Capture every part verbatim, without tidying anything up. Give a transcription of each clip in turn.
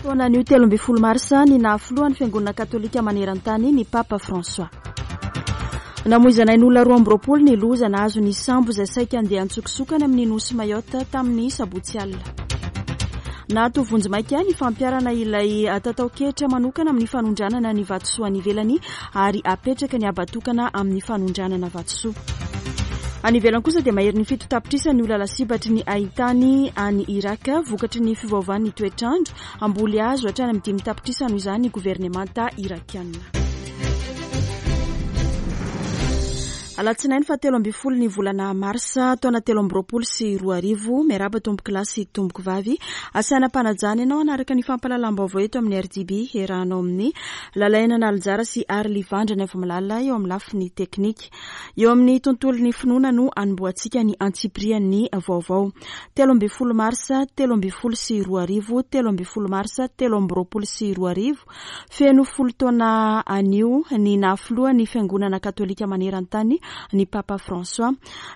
Taona anio telo ambin'ny folo marsa ny nahafilohan'ny Fiangonana Katolika maneran-tany ny Papa François. Namoizana ain'olona roa amby roapolo ny loza nahazo ny sambo izay saika handeha an-tsokosoko any amin'ny nosy Mayotte tamin'ny sabotsy alina. Nahato vonjimaika ny fampiharana ilay tatao-ketra manokana amin'ny fanondranana ny vatosoa any ivelany ary apetraka ny habatokana amin'ny fanondranana vatosoa. Any ivelany kosa dia maherin'ny fito tapitrisa ny olona lasibatry ny haintany any Irak vokatry ny fiovaovan'ny toetr'andro. Hamboly hazo hatrany amin'ny dimy tapitrisa noho izany ny governemanta irakiana. Alatsinainy fahatelo ambin'ny folo ny volana marsa taona telo amby roapolo sy roa arivo. Miarahaba tompoko lahy sy tompoko vavy. Asaina am-panajana ianao hanaraka ny fampahalalam-baovao eto amin'ny R D B iarahanao amin'ny Lalaina Nalinjara sy Arly Vandrana Vomalala eo amin'ny lafiny teknika. Eo amin'ny tontolon'ny finoana no anombohantsika ny antsipirian'ny vaovao. Telo ambin'ny folo marsa telo ambin'ny folo sy roa arivo, telo ambin'ny folo marsa telo amby roapolo sy roa arivo. Feno folo taona anio ny nahafilohan'ny Fiangonana Katolika maneran-tany ny Papa François.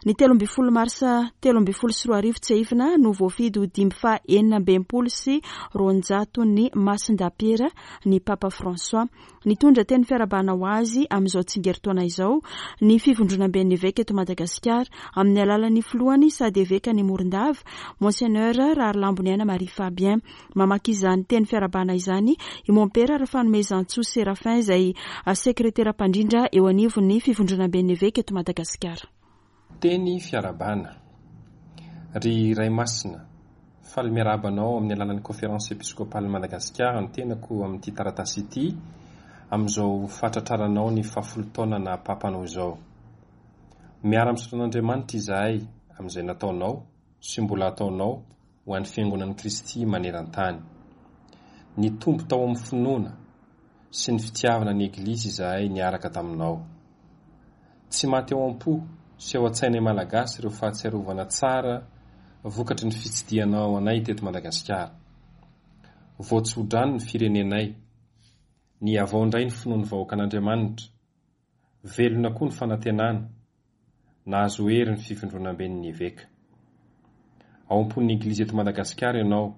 Ny telo ambin'ny folo marsa telo ambin'ny folo sy roa arivo tsiahivina no voafidy ho dimy faha enina amby enimpolo sy roanjato ny Masindapiera ny Papa François. Nitondra teny fiarahabana ho azy amin'izao tsingerin-taona izao ny fivondronamben'ny eveka eto Madagasikara amin'ny alalan'ny filohany sady eveka ny Morondava, Monseigneur Raharilamboniaina Marie Fabien. Mamaky izany teny fiarahabana izany i Mompera Rafanomezantsoa Séraphin izay sekretera mpandrindra eo anivon'ny fivondronamben'ny eveka eto Madagasikara. Teny fiarahabana. Ry Ray Masina, faly miarahaba anao amin'ny alalan'ny Conférence Épiscopale Madagasikara ny tenako amin'ity taratasy ity amin'izao fahatratraranao ny fahafolo taona na papanao izao. Miara-misaotra an'Andriamanitra izahay amin'izay nataonao sy mbola ataonao ho an'ny Fiangonan'i Kristy maneran-tany. Nitombo tao amin'ny finoana sy ny fitiavana ny Eglizy izahay niaraka taminao. Tsy maty ao am-po sy ao an-tsainay malagasy ireo fahatsiarovana tsara vokatry ny fitsidihanao anay teto Madagasikara. Voatsodrano ny firenenay, nihavao indray ny finoan'ny vahoakan'Andriamanitra, velona koa ny fanantenana, nahazo hery ny fivondronamben'ny eveka. Ao am-pon'ny Eglizy eto Madagasikara ianao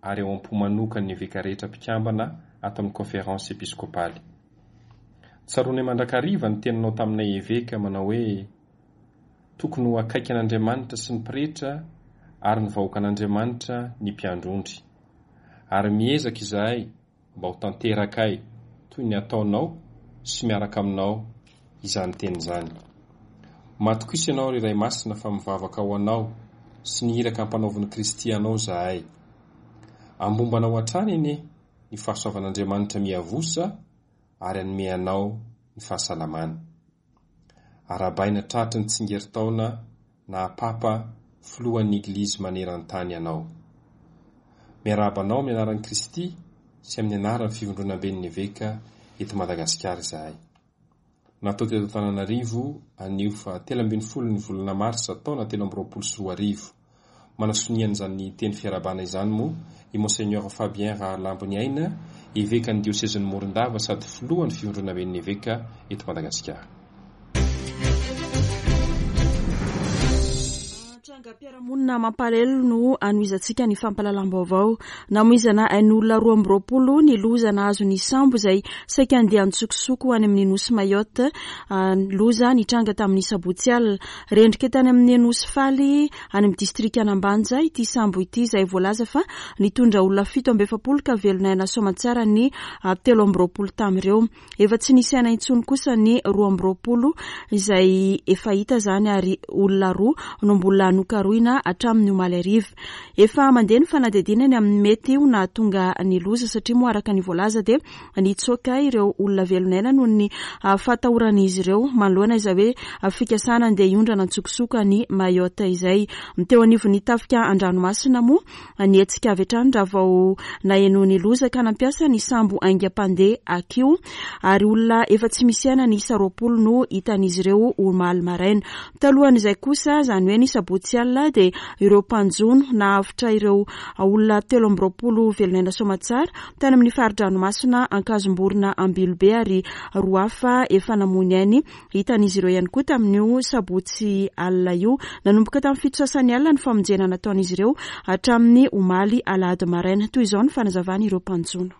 ary ao am-po manokan'ny eveka rehetra mpikambana ato amin'ny Conférence Épiscopale. Tsaroanay mandrakariva ny teninao taminay eveka manao hoe tokony ho akaiky an'Andriamanitra sy ny pretra ary ny vahoakan'Andriamanitra ny mpiandry ondry. Ary miezaka izahay mba ho tanterakay toy ny ataonao sy miaraka aminao izany teny izany. Matokisa ianao ry Ray Masina fa mivavaka ho anao sy ny iraka ampanaovin'i Kristy anao izahay. Ambombanao hatrany anie ny fahasoavan'Andriamanitra miavosa ary hanome anao ny fahasalamana. Arahabaina tratry ny tsingerin-taona naha Papa filohan'ny Eglizy maneran-tany anao. Miarahaba anao amin'ny anaran'i Kristy sy amin'ny anaran'ny fivondronamben'ny eveka eto Madagasikara izahay. Natao teto Antananarivo anio fa telo ambin'ny folo ny volana marsa taona telo amby roapolo sy roa arivo. Manasonian'izany teny fiarahabana izany moa i Monseigneur Fabien Rahalamboniaina, evekan'ny diosezin'i Morondava sady filohan'ny fivondronamben'ny eveka eto Madagasikara. Trangam-piarahamonina mampalahelo no anohizantsika ny fampahalalam-baovao. Namoizana ain'olona roa amby roapolo ny loza nahazo ny sambo izay saika handeha an-tsokosoko any amin'ny nosy Mayotte. Loza nitranga tamin'ny sabotsy alina. Rendrika tany amin'ny nosy Faly any amin'ny distrikan'Ambanja ity sambo ity izay voalaza fa nitondra olona fito amby efapolo ka velona aina soamantsara ny telo amby roapolo tamin'ireo. Efa tsy nisy aina intsony kosa ny roa amby roapolo izay efa hita izany ary olona roa no mbola nokarohina hatramin'ny omaly hariva. Efa mandeha ny fanadihadiana ny amin'ny mety ho nahatonga ny loza satria moa araka ny voalaza dia nitsoaka ireo olona velon'aina noho ny fahatahoran'izy ireo manoloana izay hoe fikasana andeha hiondrana an-tsokosoko any Mayotte izay. Teo anivon'ny tafika an-dranomasina moa nihetsika avy hatrany raha vao naheno ny loza ka nampiasa ny sambo haingam-pandeha Akio ary olona efa tsy misy aina ny isa roapolo no hitan'izy ireo omaly maraina. Talohan'izay kosa izany hoe ny sabotsy sosialy dia ireo mpanjono nahavotra ireo olona telo amby roapolo velon'aina soamatsara tany amin'ny fari-dranomasina Ankazomborona Ambilobe, ary roa hafa efa namoy ny ainy hitan'izy ireo ihany koa tamin'io sabotsy alina io. Nanomboka tamin'ny fito sasany alina ny famonjena nataon'izy ireo hatramin'ny omaly alahady maraina. Toy izao ny fanazavana ireo mpanjono.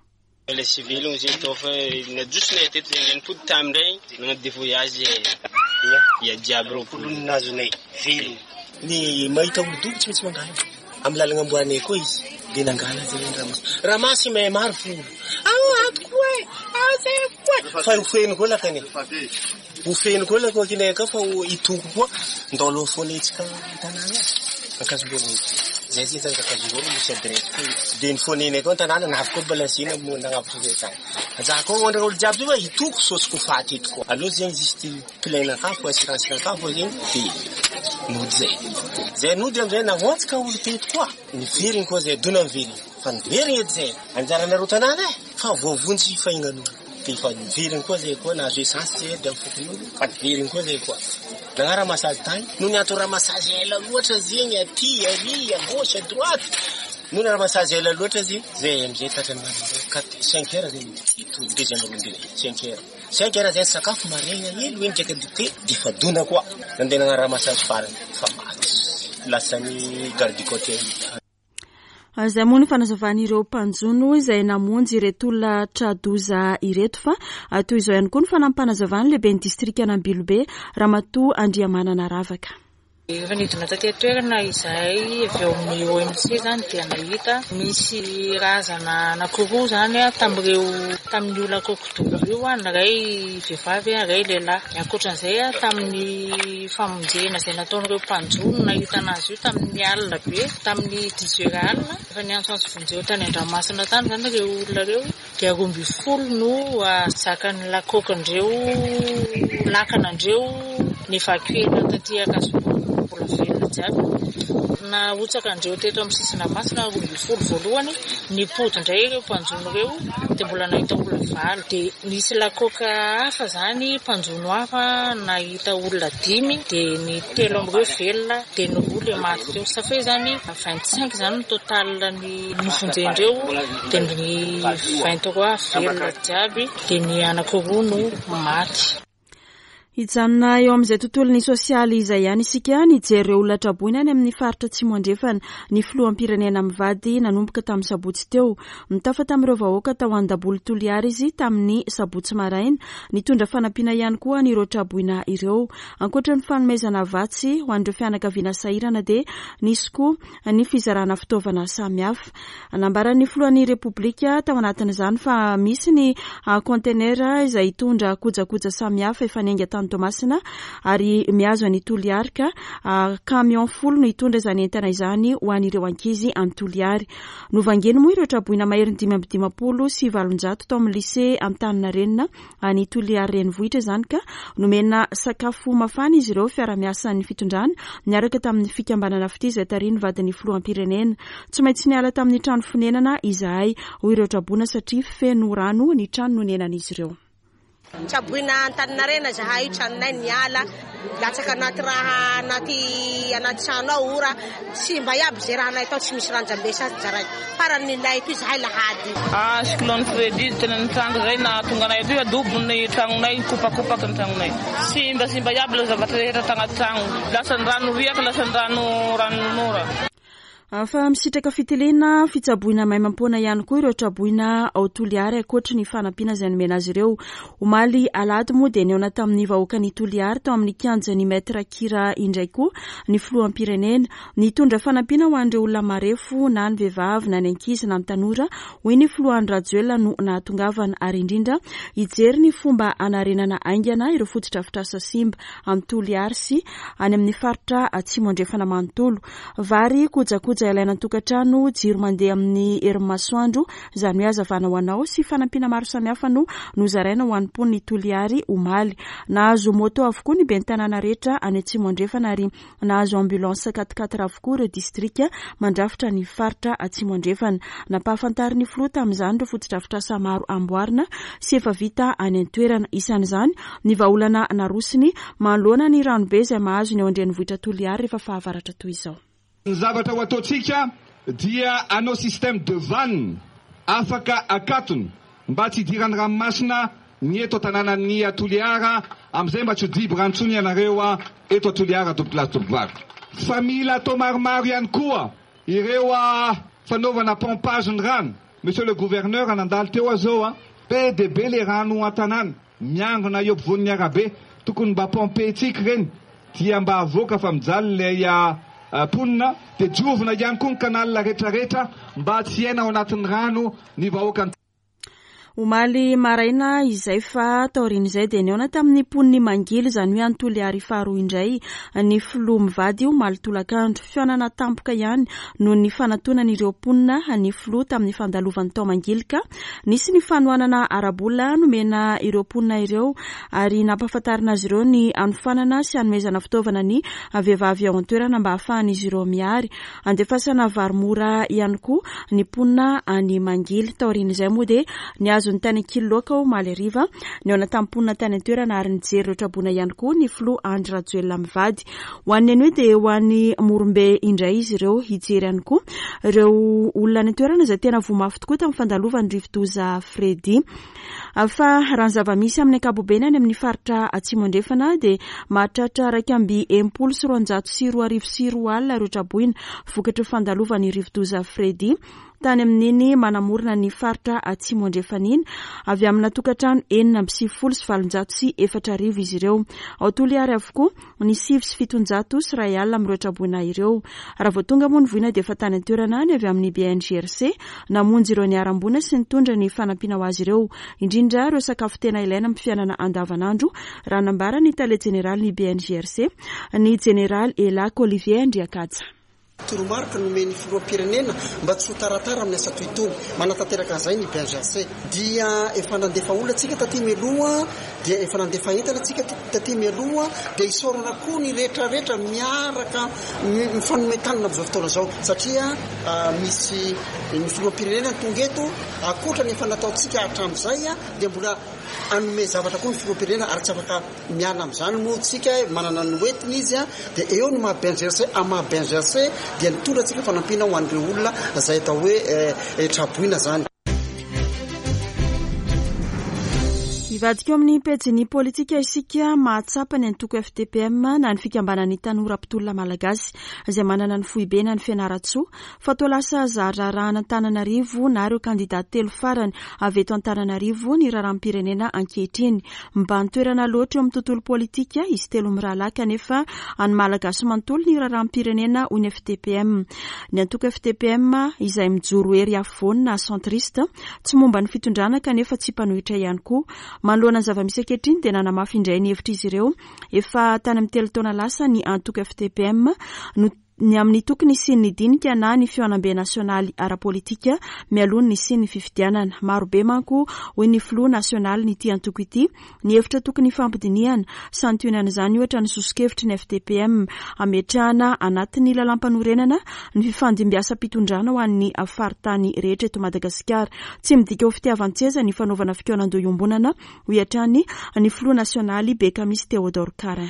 Le civil izy tô fa najosonay teto zegny nipody tamindray nagnano des voyages ia jiaby roapolo nazonay velogno. Ny mahita olo dobo tsy maintsy mangala amin'ny lalana amboanay koa izy de nangala zegny ramasy ramasy may maro folo ao atoko e ao zay koa fa ho feno koa lakany ho feno koa lako kinay ka fa hitoko koa ndao aloha foana etsika tanàna Ankazomborona zay zay zany Ankazomborona misy adresse koa de ny fonenay koa an-tanàna navy koa balancena nagnavotra zay tany za koa ondra olo jiaby io hitoko sosy ko faty eto koa aloha zegny juste plein aka fo assurance aka fo zegny de nody zay zay nody amizay nahoantsika olo teto koa niverigny koa zay dona miverigny fa niverigny edy zay anjaranareo tanàna e fa voavonjy fahignan'olo de fa niverigny koa zay koa nahazo essence zay de amy fokon'olo fa niverigny koa zay koa nagnano ramassage tany noho ny atao ramassage ela loatra zegny aty ary à gauche à droite noho ny ramassage ela loatra zegny zay amizay tratrany maraindray quatre cinq heures zegny itody deuxième round cinq heures cinq heures zay sakafo maraigna hely hoe ndraiky dité de fa dona koa nandeha nagnano ramassage farany fa maty lasany garde côtier. Izay moa ny fanazavan'ireo mpanjono izay namonjy ireto olona tra-doza ireto, fa toy izao ihany koa ny fanampanazavan'ny lehiben'ny distrikan'Ambilobe, Ramatoa Andriamanana Ravaka. Efa nidina taty an-toerana izahay avy eo amin'ny O M C zany dia nahita misy razana anankiroa zany a tamin'ireo tamin'ny olona kokodobo io a, ny iray vehivavy, ny iray lehilahy. Ny ankoatran'izay a, tamin'ny famonjena izay nataon'ireo mpanjono nahitana azy io tamin'ny alina be, tamin'ny dix heures alina, efa niantsoantso vonjeo tany an-dranomasina tany zany ireo olona ireo, dia roa amby folo no zakan'ny lakokindreo lakanandreo nivakiana taty Ankazomborona mbola velona jiaby. Nahotsaka andreo teto amin'ny sisin-dranomasina roa amby folo voalohany, nipody indray ireo mpanjono ireo dia mbola nahita olona valo. Dia nisy lakoka hafa zany, mpanjono hafa nahita olona dimy, dia ny telo amin'ireo velona, dia ny roa le maty teo. Ça fait zany vingt cinq zany ny total ny nofonjendreo, dia ny vingt trois velona jiaby, dia ny anankiroa no maty. Hijanona eo amin'izay tontolon'ny sosialy izay ihany isika. Nijery ireo olona traboina any amin'ny faritra Atsimo Andrefana ny filoham-pirenena mivady nanomboka tamin'ny sabotsy teo. Nitafa tamin'ireo vahoaka tao Andaboly Toliara izy tamin'ny sabotsy maraina. Nitondra fanampiana ihany koa an'ireo traboina ireo. Ankoatra ny fanomezana vatsy ho an'ireo fianakaviana sahirana dia nisy koa ny fizarana fitaovana samihafa. Nambaran'ny filohan'ny Repoblika tao anatin'izany fa misy ny conteneur izay hitondra kojakoja samihafa efa niainga tany Toamasina ary mihazo any Toliary, ka camion folo no hitondra izany entana izany ho an'ireo ankizy any Toliary. Novangeny moa ireo traboina maherin'ny dimy amby dimampolo sy valonjato tao amin'ny lycée Antaninarenina any Toliary renivohitra izany, ka nomena sakafo mafana izy ireo, fiara-miasan'ny fitondrana niaraka tamin'ny fikambanana Fitia izay tarihin'ny vadin'ny filoham-pirenena. Tsy maintsy niala tamin'ny trano fonenana izahay, hoy ireo traboina, satria feno rano ny trano nonenan'izy ireo. Tsaboina Antaninarena zahay io, tranonay niala latsaka anaty raha anaty anaty trano ao, ora simba iaby zay raha nay tao, tsy misy ranjambe sasy jaray farany nilay toy zahay lahady. Ah, cyclone Freddy tena nitranga zay na tonga anay aty, adobo ny tragnonay, kopakopaky ny tragnonay, simba simba iaby le zavatra rehetra tagnaty tragno, lasa ny rano riaka, lasa ny rano ranon'ora. Fa misitraka fitiliana fitsaboina maimaimpoana ihany koa ireo traboina ao Toliary ankoatry ny fanampiana izay nomena azy ireo. Omaly alahady moa dia nihaona tamin'ny vahoaka ny Toliary tao amin'ny kianjan'ny Maître Kira indray koa ny filoham-pirenena. Nitondra fanampiana ho an'ireo olona marefo, na ny vehivavy na ny ankizy na ny tanora, hoy ny filoha Andry Rajoelina, no nahatongavana, ary indrindra hijery ny fomba hanarenana haingana ireo fotodrafitrasa simba amin'ny Toliary sy any amin'ny faritra Atsimo Andrefana manontolo. Vary, kojakoja Kojakoja ilaina an-tokantrano, jiro mandeha amin'ny herin'ny masoandro, izany hoe hazavana ho anao, sy fanampiana maro samihafa no nozaraina ho an'ny mponin'i Toliary omaly. Nahazo moto avokoa ny ben'ny tanàna rehetra any Atsimo Andrefana ary nahazo ambulance quatre-quatre avokoa ireo distrika mandrafitra ny faritra Atsimo Andrefana. Nampahafantarin'ny filoha tamin'izany ireo fotodrafitrasa maro amboarina sy efa vita any an-toerana. Isan'izany ny vahaolana narosiny manoloana ny ranobe izay mahazo ny ao an-drenivohitra Toliary rehefa fahavaratra toy izao. Ny zavatra ho ataontsika dia hanao système de vanne afaka akatony mba tsy hidiran'ny ranomasina ny eto an-tanànan'ny Toliara, amin'izay mba tsy ho dibo rano intsony ianareo eto Toliara, tompokolahy sy tompokovavy. Fa mila atao maromaro ihany koa ireo fanaovana pompage ny rano. Monsieur le gouverneur nandalo teo aho zao a, be dia be le rano an-tanàna miangona eo ampovoan'ny arabe, tokony mba pompentsika ireny dia mba avoaka fa mijaly ilay mponina. Dia diovina ihany koa ny canal rehetrarehetra mba tsy hiaina ao anatin'ny rano ny vahoaka. Omaly maraina izay fa taorian'izay dia nihaona tamin'ny mponin'i Mangily, izany hoe any Toliary faharoa indray ny filoha mivady omaly tolakandro. Fihaonana tampoka ihany noho ny fanatonan'ireo mponina ny filoha tamin'ny fandalovany tao Mangily ka nisy ny fanohanana ara-bola nomena ireo mponina ireo ary nampahafantarina azy ireo ny hanofanana sy hanomezana fitaovana ny vehivavy ao an-toerana mba hahafahan'izy ireo miary. Andefasana vary mora ihany koa ny mponina any Mangily. Taorian'izay moa dia nihazo ny tany Ankililoaka omaly hariva, nihaona tamin'ny mponina tany an-toerana ary nijery ireo traboina ihany koa ny filoha Andry Rajoelina mivady. Ho an'ny anio dia ho an'ny Morombe indray izy ireo hijery ihany koa ireo olona any an-toerana izay tena voa mafy tokoa tamin'ny fandalovan'ny rivodoza Freddy. Fa raha ny zava-misy amin'ny ankapobeny any amin'ny faritra Atsimo Andrefana dia mahatratra iraika amby enimpolo sy roanjato sy roa arivo sy roa alina ireo traboina vokatry ny fandalovan'ny rivodoza Freddy tany amin'iny manamorona ny faritra Atsimo Andrefana iny, avy amina tokantrano enina amby sivifolo sy valonjato sy efatra arivo izy ireo. Ao Toliary avokoa ny sivy sy fitonjato sy iray alina amin'ireo traboina ireo. Raha vao tonga moa ny voina dia efa tany an-toerana any avy amin'ny B N G R C namonjy ireo niharam-boina sy nitondra ny fanampiana ho azy ireo, indrindra ireo sakafo tena ilaina amin'ny fiainana andavanandro, raha nambara ny tale jeneraly ny B N G R C, ny jeneraly Elaky Olivier Andriakaja. Toromarika nomen'ny filoham-pirenena mba tsy ho taratara amin'ny asa toy itony. Manatanteraka an'izay ny B N G R C. Dia efa nandefa olona tsika taty mialoha, dia efa nandefa entana tsika taty mialoha, dia isaorana koa ny rehetrarehetra miaraka mifanome tanana amin'izao fotoana izao, satria misy ny filoham-pirenena tonga eto, ankoatra ny efa nataontsika hatramin'izay, dia mbola hanome zavatra koa ny filoham-pirenena ary tsy afaka miala amin'izany moa tsika, manana ny hoentiny izy, dia eo ny maha B N G R C, amin'ny maha B N G R C dia nitondra antsika fanampiana ho an'ireo olona izay atao hoe traboina izany. Hivadika eo amin'ny pejin'ny politika isika. Mahatsapa ny antoko F T P M na ny fikambanan'ny tanora mpitolona malagasy izay manana ny foibe na ny Fianarantsoa fa toa lasa zara-raharahana Antananarivo na ireo kandida telo farany avy eto Antananarivo ny raharaham-pirenena ankehitriny. Mibahan-toerana loatra eo amin'ny tontolo politika izy telo mirahalahy kanefa any malagasy manontolo ny raharaham-pirenena hoy ny F T P M. Ny antoko F T P M izay mijoro hery afovoany na centriste tsy momba ny fitondrana kanefa tsy mpanohitra ihany koa. Manoloana ny zava-misy ankehitriny dia nanamafy indray ny hevitr'izy ireo efa tany amin'ny telo taona lasa ny antoko F T P M no ny amin'ny tokony hisian'ny dinika na ny fihaonambe nasionaly ara-politika mialoha ny hisian'ny fifidianana. Maro be manko hoy ny filoha nasionaly ny ity antoko ity ny hevitra tokony hifampidinihana. Santionan'izany ohatra ny soso-kevitry ny F T P M ametrahana anatin'ny lalàm-panorenana ny fifandimbiasam-pitondrana ho an'ny faritany rehetra eto Madagasikara. Tsy midika ho fitiavan-tseza ny fanaovana fikaonan-doha iombonana hoy hatrany ny filoha nasionaly Bekamisy Théodore Carin.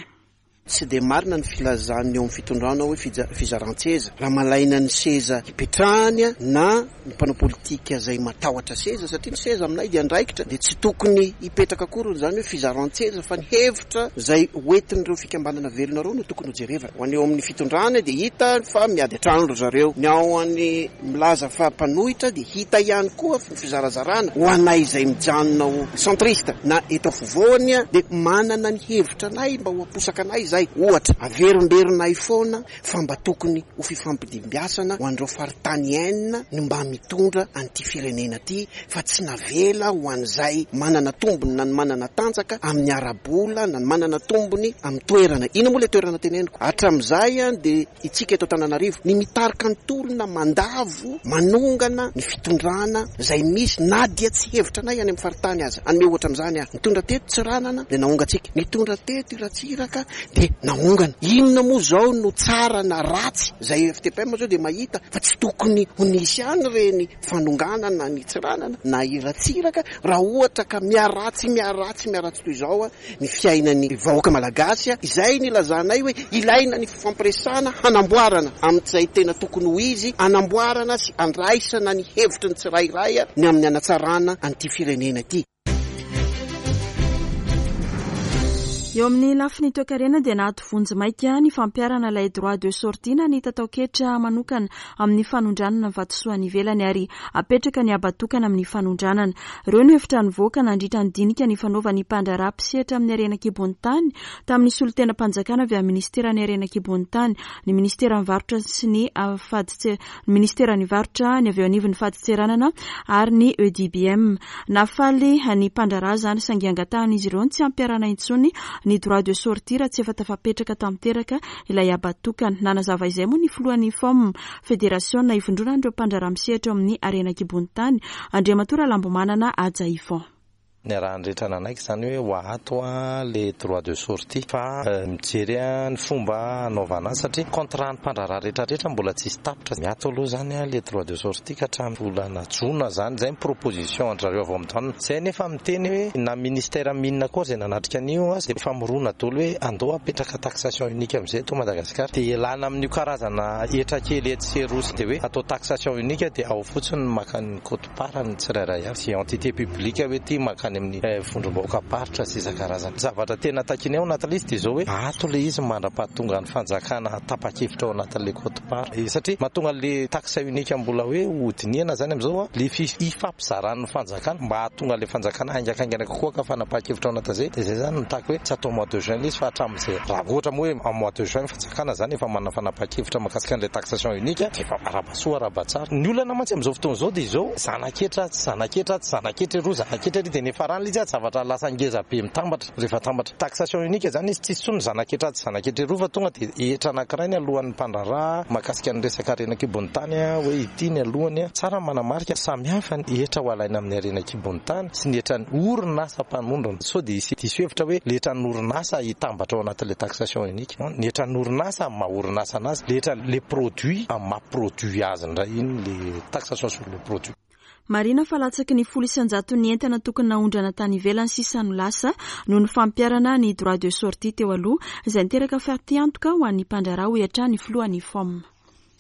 Tsy dia marina ny filazan'ny eo amin'ny fitondrana hoe fija-, fizaran-tseza. Raha malaina ny seza hipetrahany na ny mpanao politika izay matahotra seza, satria ny seza aminay dia andraikitra, dia tsy tokony hipetraka akory izany hoe fizaran-tseza, fa ny hevitra izay hoentin'ireo fikambanana velona ireo no tokony hojerevana. Ho an'ny eo amin'ny fitondrana dia hita fa miady an-trano ry zareo. Ny ao an'ny milaza fa mpanohitra dia hita ihany koa ny fizarazarana. Ho anay izay mijanona ho centriste na eto afovoany dia manana ny hevitra anay mba ho aposaka anay izay. izay. Ohatra, averimberinay foana fa mba tokony ho fifampidimbiasana ho an'ireo faritany enina ny mba mitondra an'ity firenena ity, fa tsy navela ho an'izay manana tombony na ny manana tanjaka amin'ny ara-bola na ny manana tombony amin'ny toerana. Ina moa ilay toerana teneniko? Hatramin'izay dia itsika eto Antananarivo ny mitarika ny tolona, mandavo, manongana ny fitondrana izay misy na dia tsy hevitra anay any amin'ny faritany aza. Hanome ohatra amin'izany aho, nitondra teto Tsiranana dia naongantsika, nitondra teto Ratsiraka dia naongana. Inona moa izao no tsara na ratsy? Izay F T P M zao dia mahita fa tsy tokony ho nisy ihany ireny fanonganana ny Tsiranana na i Ratsiraka raha ohatra ka miharatsy miharatsy miharatsy toy izao ny fiainan'ny vahoaka malagasy. Izay ny ilazanay hoe ilaina ny fifampiresahana hanamboarana amin'izay tena tokony ho izy, hanamboarana sy andraisana ny hevitry ny tsirairay ny amin'ny hanatsarana an'ity firenena ity. Eo amin'ny lafiny toekarena dia nahato vonjy maika ny fampiharana ilay droit de sortie na ny tataoketra manokana amin'ny fanondranana ny vatosoa any ivelany ary apetraka ny abatokana amin'ny fanondranana. Ireo no hevitra nivoaka nandritra ny dinika ny fanaovan'ny mpandraharaha mpisehatra amin'ny harena an-kibon'ny tany tamin'ny solontenam-panjakana avy amin'ny ministeran'ny harena an-kibon'ny tany, ny ministeran'ny varotra sy ny faditse, ny ministeran'ny varotra, ny avy eo anivon'ny fadintseranana ary ny E D B M. Nafaly ny mpandraharaha izany saingy angatahan'izy ireo ny tsy hampiharana intsony ny droit de sortie raha tsy efa tafapetraka tanteraka ilay abatokana. Nanazava izay moa ny filohan'ny F O M, Fédération ivondronan'ireo mpandraharaha misehatra eo amin'ny harena an-kibon'ny tany, Andriamatoa Ralambomanana Haja Yvon. Ny arahany rehetra nanaiky izany hoe ho ato a le droit de sortie fa mijery ny fomba hanaovana azy satria contrat ny mpandraharaha rehetrarehetra mbola tsisy tapitra. Miato aloha izany a le droit de sortie ka hatramin'ny volana jona izany, izay ny proposition an-dry zareo avy ao amin'ny douane. Izay nefa miteny hoe na ministère mine koa izay nanatrika an'io a, dia famorona daholo hoe andao apetraka taxation unique amin'izay eto Madagasikara. Dia ialana amin'io karazana hetra kely etsy sy eroa dia hoe atao taxation unique dia ao fotsiny ny maka ny quote-part ny tsirairay avy. Sy entité publique hoe ty maka any amin'ny vondrom-bahoaka-paritra sy isan-karazany. Zavatra tena takiana ao anatin'ilay izy dia izao hoe ato ilay izy mandra-pahatonga ny fanjakana tapa-kevitra ao anatin'ilay quote-part. Satria mahatonga ilay taxe unique mbola hoe hodinihana izany amin'izao a, ilay fifampizaran'ny fanjakana mba hahatonga ilay fanjakana haingakaingana kokoa ka fanapahan-kevitra ao anatin'izay. Dia izay izany mitaky hoe tsy atao mois de juin ilay izy fa hatramin'izay. Raha ohatra moa hoe mois de juin ny fanjakana izany efa manana fanapahan-kevitra mahakasika an'ilay taxation unique dia efa arabasoa arabatsara. Ny olana mantsy amin'izao fotoana izao dia izao zanaketra tsy zanaketra tsy zanaketra eroa zanaketra ery dia nefa rano ilay izy a, zavatra lasa ngeza be mitambatra rehefa tambatra. Taxation unique izany izy tsisy intsony zanaketra tsy zanaketra eroa fa tonga dia hetra anankiray ny alohan'ny mpandraharaha mahakasika ny resaka harena an-kibon'ny tany a, hoe ity ny alohany a. Tsara ny manamarika samihafa ny hetra ho alaina amin'ny harena an-kibon'ny tany sy ny hetran'ny orinasa mpanondrana. Sao dia hisy diso hevitra hoe ilay hetran'ny orinasa hitambatra ao anatin'ilay taxation unique. Ny hetran'ny orinasa amin'ny maha orinasa anazy, ilay hetran'ilay produit amin'ny maha produit azy indray iny ilay taxation sur le produit. Marina fa latsaky ny folo isan-jato ny entana tokony naondrana tany ivelany sisa no lasa noho ny fampiharana ny droit de sortie teo aloha izay niteraka fatiantoka ho an'ny mpandraharaha hoy hatrany ny filohan'ny F O M.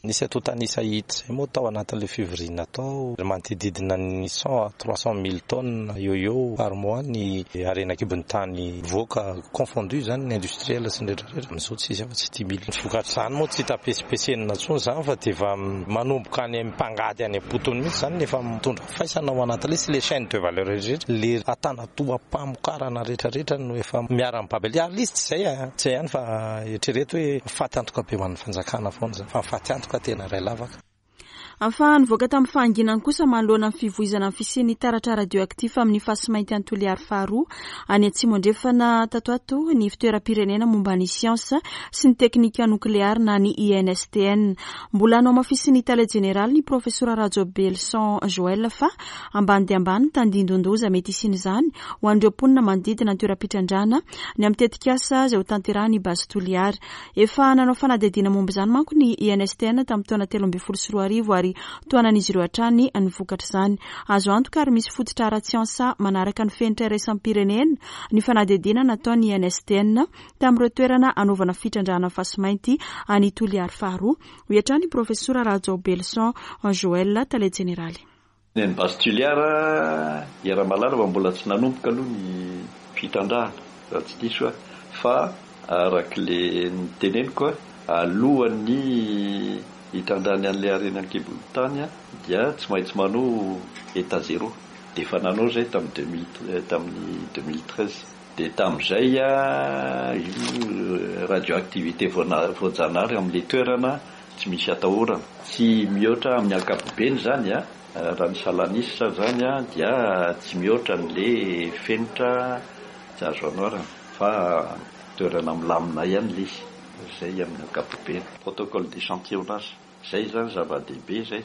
Nisy antontan'isa hita izay moa tao anatin'ilay fivoriana tao, manodidina ny cent à trois cent mille tonnes eo eo par mois ny harena an-kibon'ny tany voaka confondu izany ny industriel sy ny rehetrarehetra. Amin'izao tsy izy afa-tsy dimy mille. Ny vokatr'izany moa tsy hita pesipesenina intsony izany fa dia efa manomboka any amin'ny mpangady any am-potony mihitsy izany efa mitondra faisana ao anatin'ilay sy ilay chaîne de valeur rehetrarehetra, ilay antanatoam-pamokarana rehetrarehetra no efa miara-mibaby. Ary izy tsy izay a, tsy izay ihany fa eritrereto hoe faty antoka be ho an'ny fanjakana foana izany, fa faty antoka tena iray lavaka. Ahafahan'ny voaka tamin'ny fahanginany kosa manoloana ny fivoizana ny fisian'ny taratra radioactif amin'ny fasimainty any Toliary faharoa any Atsimo Andrefana tato ato ny fitoeram-pirenena momba ny siansa sy ny teknika nokleary na ny I N S T N. Mbola nohamafisin'ny tale jeneraly ny profesora Rajaobelison Joël fa ambany dia ambany ny tandindon-doza mety hisian'izany ho an'ireo mponina manodidina ny toeram-pitrandrahana ny amin'ny tetikasa izay ho tanterahan'ny Base Toliary. Efa nanao fanadihadiana momba izany manko ny I N S T N tamin'ny taona telo ambin'ny folo sy roa arivo ary tohanan'izy ireo hatrany ny vokatr'izany. Azo antoka ary misy fototra ara-tsiansa manaraka ny fenitra iraisam-pirenena ny fanadihadiana nataon'ny I N S T N tamin'ireo toerana anaovana fitrandrahana fasimainty any Toliary faharoa. Hoy hatrany profesora Rajaobelison Joël, tale jeneraly. Ny any Base Toliara, iaraha-mahalala fa mbola tsy nanomboka aloha ny fitrandrahana, raha tsy diso aho, fa arak'ilay niteneniko aho, alohan'ny hitrandrahany an'ilay harena an-kibon'ny tany dia tsy maintsy manao état zéro. Dia efa nanao izay tamin'ny deux mille, tamin'ny deux mille treize. Dia tamin'izay io radioactivité voajanahary amin'ilay toerana tsy misy atahorana. Tsy mihoatra amin'ny ankapobeny zany a, raha ny salanisa zany a dia tsy mihoatra an'le fenitra tsy azo anoarana fa toerana milamina ihany le izy, zay amin'ny ankapobeny. Protocole d'échantillonnage, zay zany zava-dehibe zay.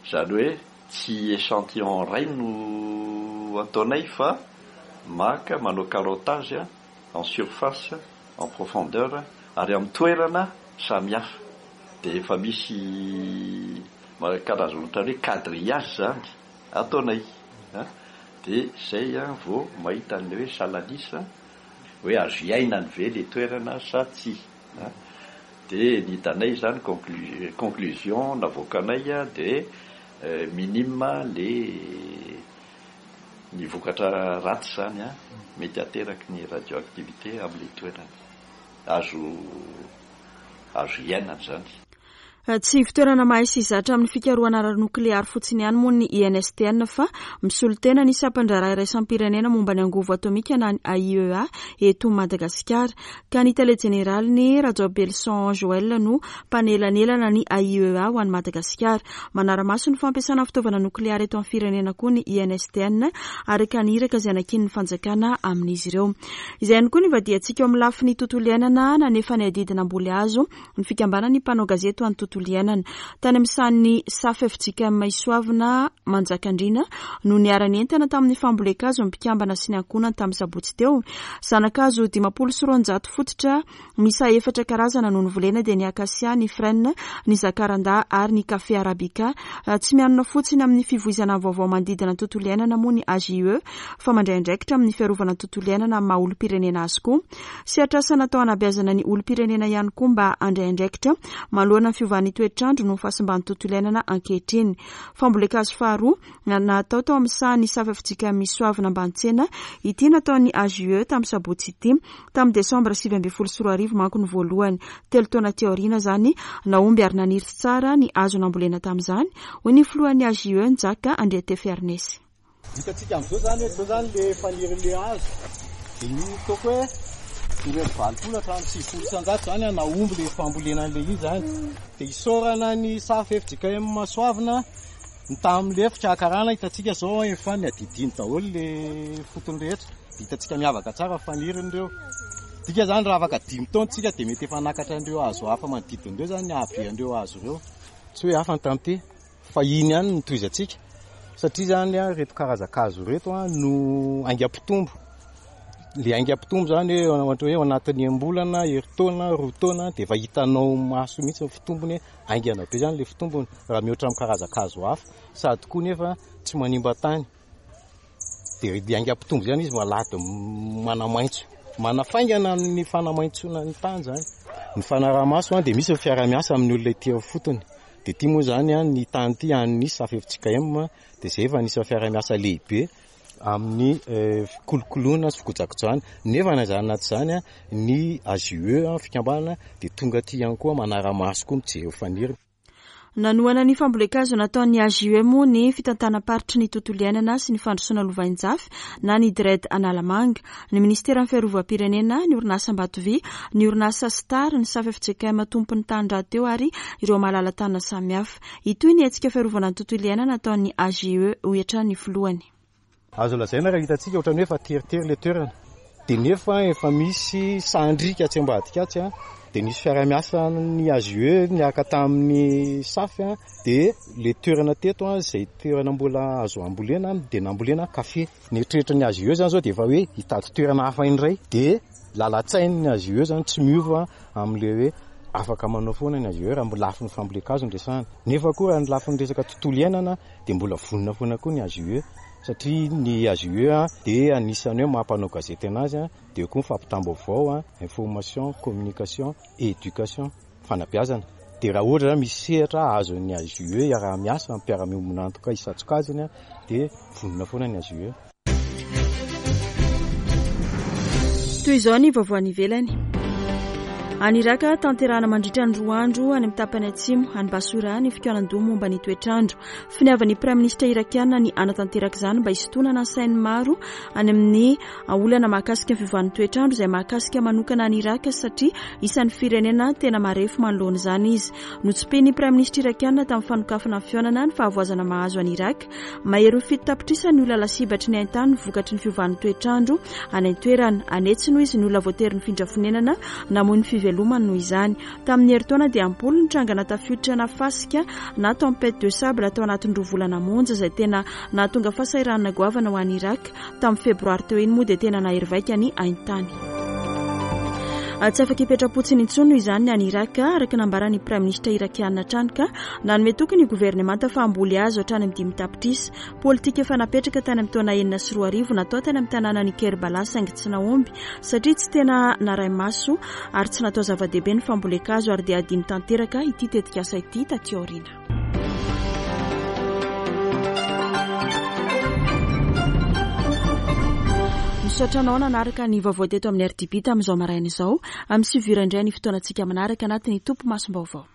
Zany hoe tsy échantillon ray no ataonay fa maka manao carottage en surface, en profondeur ary amin'ny toerana samihafa. Dia efa misy karazana ohatran'ny hoe quadrillage zany ataonay. Dia zay vao mahita an'ilay hoe salanisa hoe azo iainany ve le toerana sa tsy. Dia ny hitanay zany conclusion navoakanay dia minime le ny vokatra ratsy zany a mety ateraky ny radioactivité amin'ilay toerana. Azo azo iainana zany. Tsy fitoerana mahay sy zatra amin'ny fikarohana ara-nokleary fotsiny ihany moa ny I N S T N fa misolo tena ny sampan-draharaha iraisam-pirenena momba ny angovo atomika na ny A I E A eto Madagasikara. Ka ny tale jeneraliny Rajaobelison Joël no mpanelanelana ny A I E A ho an'i Madagasikara. Manara-maso ny fampiasana fitaovana nokleary eto amin'ny firenena koa ny I N S T N araka ny iraka izay nakian'ny fanjakana amin'izy ireo. Izay ihany koa ny vadiantsika eo amin'ny lafiny tontolo iainana nanefa ny adidy namboly hazo ny fikambanan'ny mpanao gazety ho an'ny tontolo iainana. Tany amin'ny sahan'ny S A F F J K M Isoavina Manjakandriana no niara-nientana tamin'ny fambolen-kazo ny mpikambana sy ny ankohonany tamin'ny sabotsy teo. Zanakazo dimampolo sy roanjato fototra miisa efatra karazana no novolena dia ny akasia, ny frêne, ny zakaranda ary ny kafe arabica. Tsy mianona fotsiny amin'ny fivoizana vaovao manodidina ny tontolo iainana moa ny A J E fa mandray andraikitra amin'ny fiarovana ny tontolo iainana amin'ny maha olom-pirenena azy koa. Sehatr'asa natao hanabeazana ny olom-pirenena ihany koa mba handray andraikitra manoloana ny fiovan'ny toetr'andro no fahasimban'ny tontolo iainana ankehitriny. Fambolen-kazo faharoa natao tao amin'ny sahan'ny S A F F J K M Isoavina Ambanitsena ity nataon'ny A J E tamin'ny sabotsy ity. Tamin'ny desambra sivy ambin'ny folo sy roa arivo manko ny voalohany. Telo taona teo aoriana izany nahomby ary naniry tsara ny hazo nambolena tamin'izany, hoy ny filohan'ny A J E Njaka Andriatefiarnesy. Hitantsika amin'izao zany hoe izao zany le fanirin'le hazo. Dia ny ataoko hoe ireo valopolo hatramin'ny sivifolo isan-jato zany nahomby le fambolena an'le izy zany. Dia isaorana ny S A F F J K M Soavina ny tamin'le fikarakarana hitantsika izao efa niadidiny daholo le fotony rehetra. Dia hitantsika miavaka tsara fanirin'ireo. Dika zany raha afaka dimy taona tsika dia mety efa nakatra an'ireo hazo hafa manodidina ireo zany ny hahabe an'ireo hazo ireo. Tsy hoe hafa ny tamin'ity fa iny ihany no tohizantsika. Satria zany a reto karazan-kazo reto a no haingam-pitombo. Le haingam-pitombo zany hoe ohatra hoe ao anatin'ny enim-bolana, herintaona, roa taona dia efa hitanao maso mihitsy ny fitombony, haingana be zany le fitombony raha mihoatra amin'ny karazan-kazo hafa. Sady koa nefa tsy manimba tany. Dia le haingam-pitombo zany izy malady manamaitso, manafaingana amin'ny fanamaitsoana ny tany zany. Ny fanaraha-maso dia misy ny fiaraha-miasa amin'ny olona ety amin'ny fotony. Dia ity moa zany a ny tany ity an'ny S A F F J K M dia izay efa anisan'ny fiaraha-miasa lehibe amin'ny fikolokoloana sy fikojakojana. Nefa na izany na tsy izany ny A J E fikambanana dia tonga aty ihany koa manara-maso koa mijery faniry. Nanohana ny fambolen-kazo nataon'ny A J E moa ny fitantanam-paritry ny tontolo iainana sy ny fandrosoana lovainjafy na ny D R E D Analamanga, ny ministeran'ny fiarovam-pirenena, ny orinasa Ambatovy, ny orinasa Star, ny S A F F J K M tompon'ny tany rahateo ary ireo malala-tanana samihafa. Hitohy ny hetsika fiarovana ny tontolo iainana nataon'ny A J E hoy hatrany ny filohany. Azo lazaina raha hitantsika ohatran'ny hoe efa teritery ilay toerana. Dia nefa efa misy sandrika atsy ambadika atsy a, dia nisy fiaraha-miasa ny A J E niaraka tamin'ny S A F a, dia ilay toerana teto a, izay toerana mbola azo ambolena dia nambolena kafe. Ny eritreritry ny A J E zany zao dia efa hoe hitady toerana hafa indray, dia lalan-tsain'ny A J E zany tsy miova amin'ilay hoe afaka manao foana ny A J E raha mbola lafiny fambolen-kazo no resahana. Nefa koa raha ny lafiny resaka tontolo iainana dia mbola vonona foana koa ny A J E. Satria ny A J E a dia anisan'ny hoe mampanao gazety anazy a, dia eo koa ny fampitam-baovao a, information, communication, éducation, fanabeazana. Dia raha ohatra zany misy sehatra azon'ny A J E iaraha-miasa amin'ny mpiara-miombon'antoka isan-tsokajiny a, dia vonona foana ny A J E. Toy izao ny vaovao any ivelany. Any Iraka, tanterahana mandritra ny roa andro any amin'ny tapany atsimo any Basora ny fikaonandoha momba ny toetrandro. Finiavan'ny praiminisitra irakiana ny hanatanteraka izany mba hisintonana ny sain'ny maro any amin'ny olana mahakasika ny fiovan'ny toetrandro izay mahakasika manokana any Iraka satria isan'ny firenena tena marefo manoloana izany izy. Notsipihin'ny praiminisitra irakiana tamin'ny fanokafana ny fihaonana ny fahavoazana mahazo any Iraka. Mahery ho fito tapitrisa ny olona lasibatry ny haintany vokatry ny fiovan'ny toetrandro any an-toerana. Anetsy noho izy ny olona voatery nifindra fonenana namoy ny fivelomany noho izany. Tamin'ny herintaona dia ampolo ny trangana tafiotra na fasika na tempête de sable tao anatin'ny roa volana monja izay tena nahatonga fahasahiranana goavana ho an'i Iraka. Tamin'ny febroary teo iny moa dia tena nahery vaika ny haintany. Tsy afaka hipetra-potsiny intsony noho izany ny any Iraka, araka nambaran'ny praiminisitra irakiana hatrany ka nanome toky ny governemanta fa hamboly hazo hatrany amin'ny dimy tapitrisa. Politika efa napetraka tany amin'ny taona enina sy roa arivo natao tany amin'ny tanànan'i Kerbala saingy tsy nahomby satria tsy tena naray-maso ary tsy natao zava-dehibe ny fambolen-kazo ary dia adino tanteraka ity tetikasa ity taty aoriana. Misaotra anao nanaraka ny vaovao teto amin'ny R T B tamin'izao maraina izao. Amin'ny sivy ora indray ny fotoanantsika manaraka anatin'ny Topimasom-baovao.